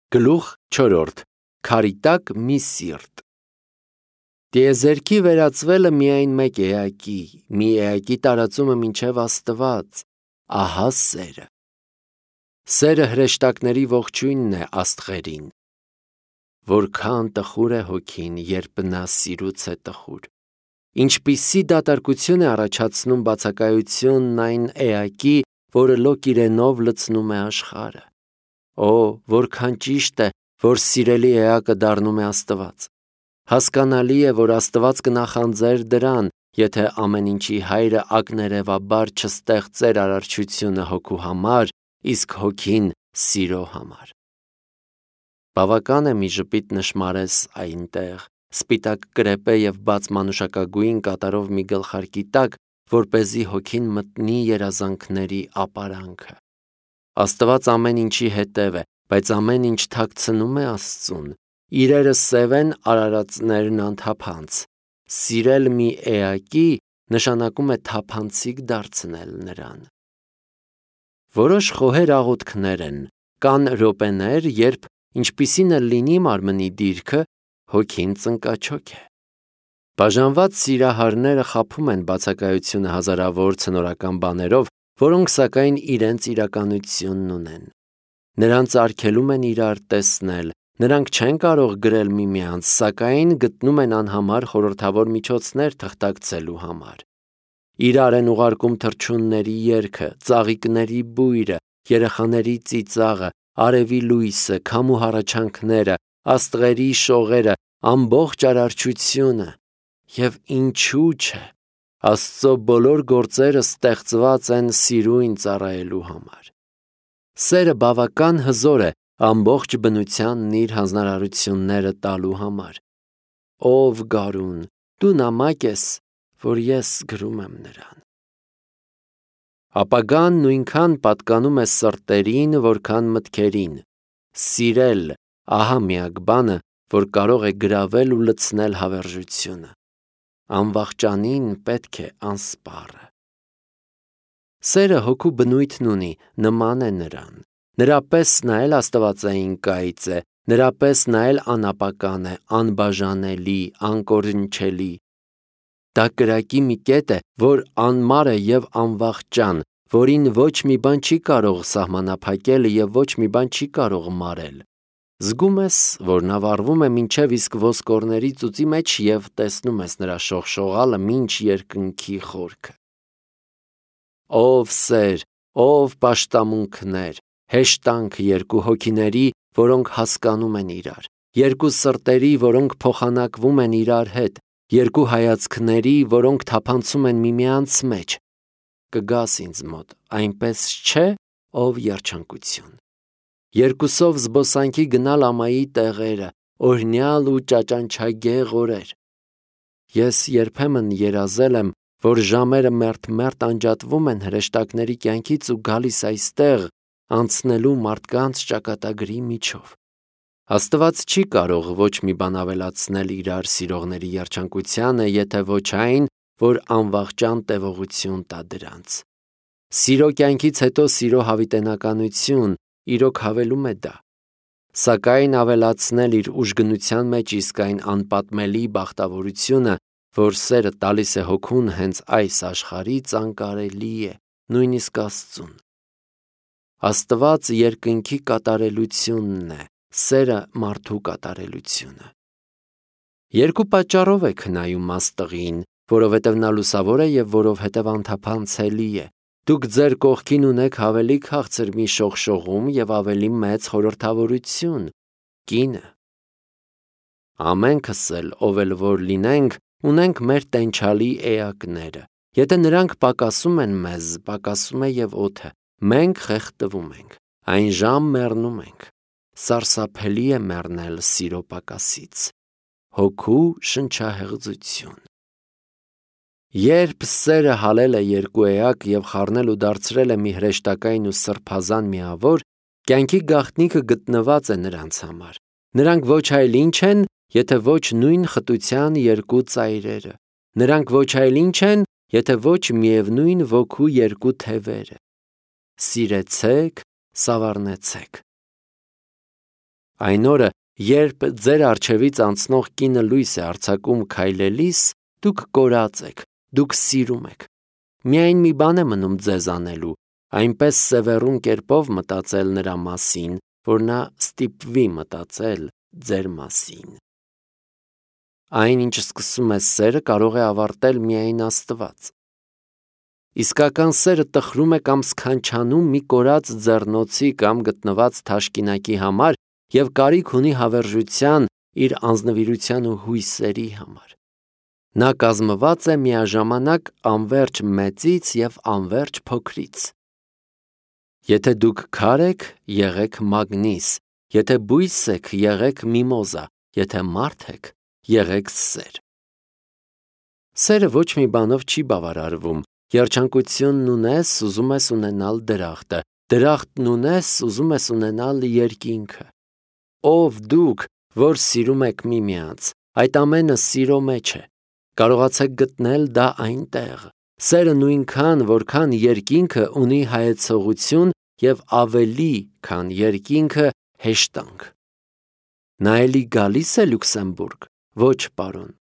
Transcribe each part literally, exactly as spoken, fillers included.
Գլուխ չորրորդ. Քարի տակ մի սիրտ։ Տիեզերքի վերածվելը միայն մեկ էակի, մի էակի տարածումը մինչև Աստված, ահա սերը։ Սերը հրեշտակների ողջույնն է աստղերին։ Որքան տխուր է հոգին, երբ նա սիրուց է տխուր։ Ինչպիսի դատարկություն է առաջացնում բացակայությունն այն էակի, որը լոկ իրենով լցնում է աշխարհը։ Օ, որքան ճիշտ է, որ սիրելի էակը դառնում է Աստված։ Հասկանալի է, որ Աստված կնախանձեր դրան, եթե ամեն ինչի հայրը ակներևաբար չստեղծեր արարչությունը հոգու համար, իսկ հոգին սիրո համար։ Բավական է մի ժպիտ նշմարես այնտեղ, սպիտակ կրեպե և բաց մանուշակագույն կատարով մի գլխարկի տակ, որպեսզի հոգին մտնի երազանքների ապարանքը։ Աստված ամեն ինչի հետև է, բայց ամեն ինչ թաքցնում է Աստծուն։ Իրերը սև են, արարածներն անթափանց։ Սիրել մի էակի նշանակում է թափանցիկ դարձնել նրան։ Որոշ խոհեր աղոթքներ են, կան րոպեներ, երբ ինչպիսին էլ լինի մարմնի դիրքը, հոգին ծնկաչոք է։ Բաժանված սիրահարները խաբում են բացակայությունը հազարավոր ցնորական բաներով, որոնք սակայն իրենց իրականությունն ունեն։ Նրանց արգելում են իրար տեսնել, նրանք չեն կարող գրել միմյանց, սակայն գտնում են անհամար խորհրդավոր միջոցներ թղթակցելու համար։ Իրար են ուղարկում թռչունների երգը, ծաղիկների բույրը, երեխաների ծիծաղը, արևի լույսը, քամու հառաչանքները, աստղերի շողերը, ամբողջ արարչությունը։ Եվ ինչու՞ չէ, Աստծո բոլոր գործերը ստեղծված են սիրույն ծառայելու համար։ Սերը բավական հզոր է ամբողջ բնությանն իր հանձնարարությունները տալու համար։ Ով գարուն, դու նամակ ես, որ ես գրում եմ նրան։ Ապագան նույնքան պատկանում է սրտերին, որքան մտքերին։ Սիրել, ահա միակ բանը, որ կարող է գրավել ու լցնել հավերժությունը։ Անվախճանին պետք է անսպառը։ Սերը հոգու բնույթն ունի, նման է նրան։ Նրա պես նա էլ աստվածային կայծ է, նրա պես նա էլ անապական է, անբաժանելի, անկորնչելի։ Դա կրակի մի կետ է, որ անմար է և անվախճան, որին ոչ մի բան չի կարող սահմանափակել և ոչ մի բան չի կարող մարել։ Զգում ես, որ նա վառվում է մինչև իսկ ոսկորների ծուծի մեջ և տեսնում ես նրա շողշողալը մինչ երկնքի խորքը։ Ով սեր, ով պաշտամունքներ, հեշտանք երկու հոգիների, որոնք հասկանում են իրար, երկու սրտերի, որոնք փոխանակվում են իրար հետ, երկու հայացքների, որոնք թափանցում են միմյանց մեջ։ Կգաս ինձ մոտ, այնպես չէ, ով երջանկություն։ Երկուսով զբոսանքի գնալ ամայի տեղերը, օրհնյալ ու ճաճանչագեղ օրեր։ Ես երբեմն երազել եմ, որ ժամերը մերթ-մերթ անջատվում են հրեշտակների կյանքից ու գալիս այստեղ, անցնելու մարդկանց ճակատագրի միջով։ Աստված չի կարող ոչ մի բան ավելացնել իրար սիրողների երջանկությանը, եթե ոչ այն, որ անվախճան տևողություն տա դրանց։ Սիրո կյանքից հետո սիրո հավիտենականություն, իրոք հավելում է դա։ Սակայն ավելացնել իր ուժգնության մեջ իսկ այն անպատմելի բախտավորությունը, որ սերը տալիս է հոգուն հենց այս աշխարհից, անկարելի է, նույնիսկ Աստծուն։ Աստված երկնքի կատարելությունն է, սերը մարդու կատարելությունը։ Երկու պատճառով եք հնայում աստղին, որովհետև նա լուսավոր է և որովհետև անթափանցելի է։ Դուք ձեր կողքին ունեք ավելի քաղցր մի շողշողում և ավելի մեծ խորհրդավորություն՝ կինը։ Ամենքս էլ, ով էլ որ լինենք, ունենք մեր տենչալի էակները։ Եթե նրանք պակասում են մեզ, պակասում է և օդը, մենք խեղդվում ենք, այն ժամ մեռնում ենք։ Սարսափելի է մեռնել սիրո պակասից։ Հոգու շնչահեղձություն։ Երբ սերը հալել է երկու էակ և խառնել ու դարձրել է մի հրեշտակային ու սրբազան միավոր, կյանքի գաղտնիքը գտնված է նրանց համար։ Նրանք ոչ այլ ինչ են, եթե ոչ նույն խտության երկու ծայրերը։ Նրանք ոչ այլ ինչ են, եթե ոչ միևնույն ոգու երկու թևերը։ Սիրեցեք, սավառնեցեք։ Այն օրը, երբ ձեր առջևից անցնող կինը լույս է արձակում քայլելիս, դուք կորած եք, դուք սիրում եք։ Միայն մի բան է մնում ձեզ անելու, այնպես սևեռուն կերպով մտածել նրա մասին, որ նա ստիպվի մտածել ձեր մասին։ Այն, ինչ սկսում է սերը, կարող է ավարտել միայն Աստված։ Իսկական սերը տխրում է կամ սքանչանում մի կորած ձեռնոցի կամ գտնված թաշկինակի համար և կարիք ունի հավերժության իր անձնվիրության ու հույսերի համար։ Նա կազմված է միաժամանակ անվերջ մեծից և անվերջ փոքրից։ Եթե դուք քար եք, եղեք մագնիս, եթե բույս եք, եղեք միմոզա, եթե մարդ եք, եղեք սեր։ Սերը ոչ մի բանով չի բավարարվում։ Երջանկությունն ունես, ուզում ես ունենալ դրախտը, դրախտն ունես, ուզում ես ունենալ երկինքը։ Ով դուք, որ սիրում եք միմյանց, այդ ամենը սիրո մեջ է։ Կարողացեք գտնել դա այնտեղ։ Սերը նույնքան, որքան երկինքը ունի հայեցողություն և ավելի, քան երկինքը հեշտանք։ Նա էլի գալիս է Լյուքսեմբուրգ։ Ոչ, պարոն։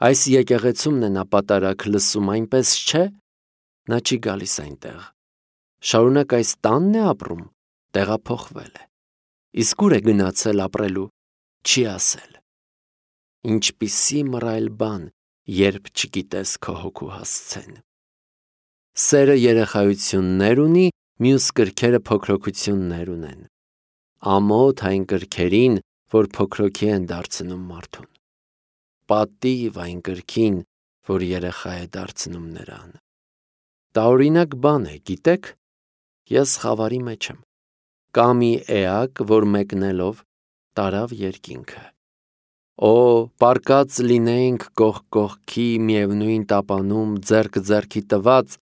Այս եկեղեցումն է նա պատարագ լսում, այնպես չէ։ Նա չի գալիս այնտեղ։ Շարունակ այս տանն է ապրում, տեղափոխվել է։ Իսկ ուր է գնացել ապրելու, չի ասել։ Ինչպիսի մռայլ բան, երբ չգիտես քո հոգու հասցեն։ Սերը երեխայություններ ունի, մյուս կրքերը փոքրոքություններ ունեն։ Ամոթ այն կրքերին, որ փոքրոքի են դարձնում մարդուն։ Պատիվ այն կրքին, որ երեխա է դարձնում նրան։ Տարօրինակ բան է, գիտեք, ես խավարի մեջ եմ։ Կա մի էակ, որ մեկնելով տարավ երկինքը։ Օ, պարկած լինեինք կողք կողքի միևնույն տապանում, ձեռք ձեռքի տված,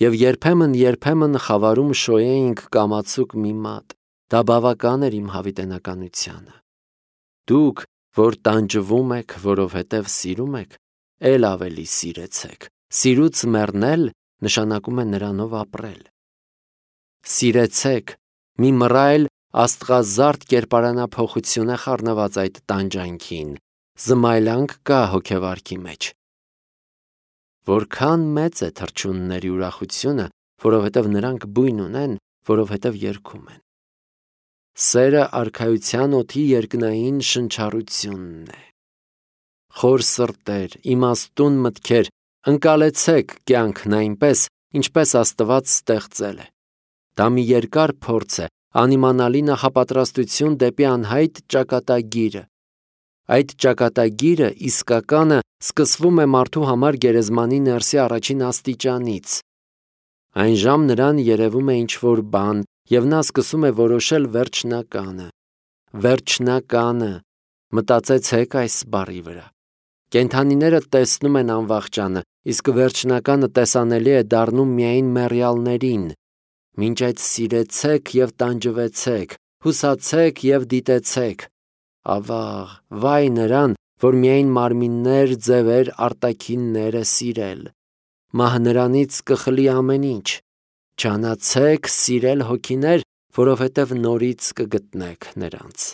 և երբեմն-երբեմն խավարում շոյեինք կամացուկ մի մատ, դա բավական էր իմ հավիտենականությանը։ Դուք, որ տանջվում եք, որովհետև սիրում եք, էլ ավելի սիրեցեք։ Սիրուց մեռնել նշանակում է նրանով ապրել։ Սիրեցեք, մի մռայլ աստղազարդ կերպարանափոխություն է խառնված այդ տանջանքին, զմայլանք կա հոգևարքի մեջ։ Որքան մեծ է թռչունների ուրախությունը, որովհետև նրանք բույն ունեն, որովհետև երգում են։ Սերը արքայության օդի երկնային շնչառությունն է։ Խոր սրտեր, իմաստուն մտքեր, ընկալեցեք կյանքն այնպես, ինչպես Աստված ստեղծել է։ Դա մի երկար փորձ է, անիմանալի նախապատրաստություն դեպի անհայտ ճակատագիրը։ Այդ ճակատագիրը իսկականը սկսվում է մարդու համար գերեզմանի ներսի առաջին աստիճանից։ Այն ժամ նրան երևում է ինչ-որ բան, և նա սկսում է որոշել վերջնականը։ Վերջնականը, մտածեցեք այս բառի վրա։ Կենդանիները տեսնում են անվախճանը, իսկ վերջնականը տեսանելի է դառնում միայն մեռյալներին։ Մինչ այդ սիրեցեք և տանջվեցեք, հուսացեք և դիտեցեք։ Ավաղ, վայ նրան, որ միայն մարմիններ, ձևեր, արտաքիններ է սիրել։ Մահ նրանից կխլի ամեն ինչ։ Ջանացեք սիրել հոգիներ, որովհետև նորից կգտնեք նրանց։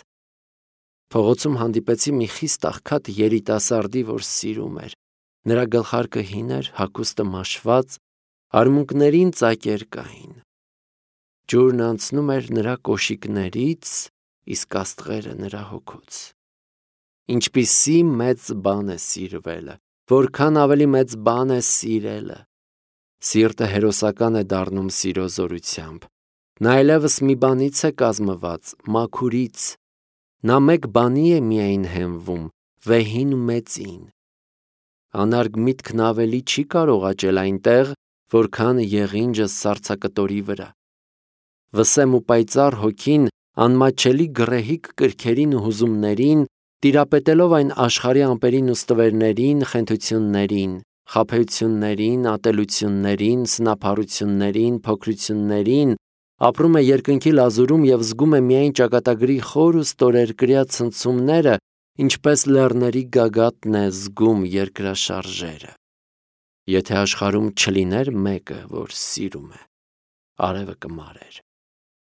Փողոցում հանդիպեցի մի խիստ աղքատ երիտասարդի, որ սիրում էր։ Նրա գլխարկը հին էր, հագուստը մաշված, արմունկներին ծակեր կային։ Ջուրն անցնում էր նրա կոշիկներից, իսկ աստղերը նրա հոգուց։ Ինչպիսի մեծ բան է սիրվելը, որքան ավելի մեծ բան է սիրելը։ Սիրտը հերոսական է դառնում սիրո զորությամբ։ Նա այլևս մի բանից է կազմված, մաքուրից։ Նա մեկ բանի է միայն հենվում, վեհին ու մեծին։ Անարգ միտքն ավելի չի կարող աճել այնտեղ, որքան եղինջը սառցակտորի վրա։ Վսեմ ու պայծառ հոգին անմատչելի գռեհիկ կրքերին ու հուզումներին, տիրապետելով այն աշխարհի ամպերին ու ստվերներին, խենթություններին, խաբեություններին, ատելություններին, սնափառություններին, փոքրություններին, ապրում է երկնքի լազուրում և զգում է միայն ճակատագրի խոր ու ստորերկրյա ցնցումները, ինչպես լեռների գագաթն է զգում երկրաշարժերը։ Եթե աշխարհում չլիներ մեկը, որ սիրում է, արևը կմարեր։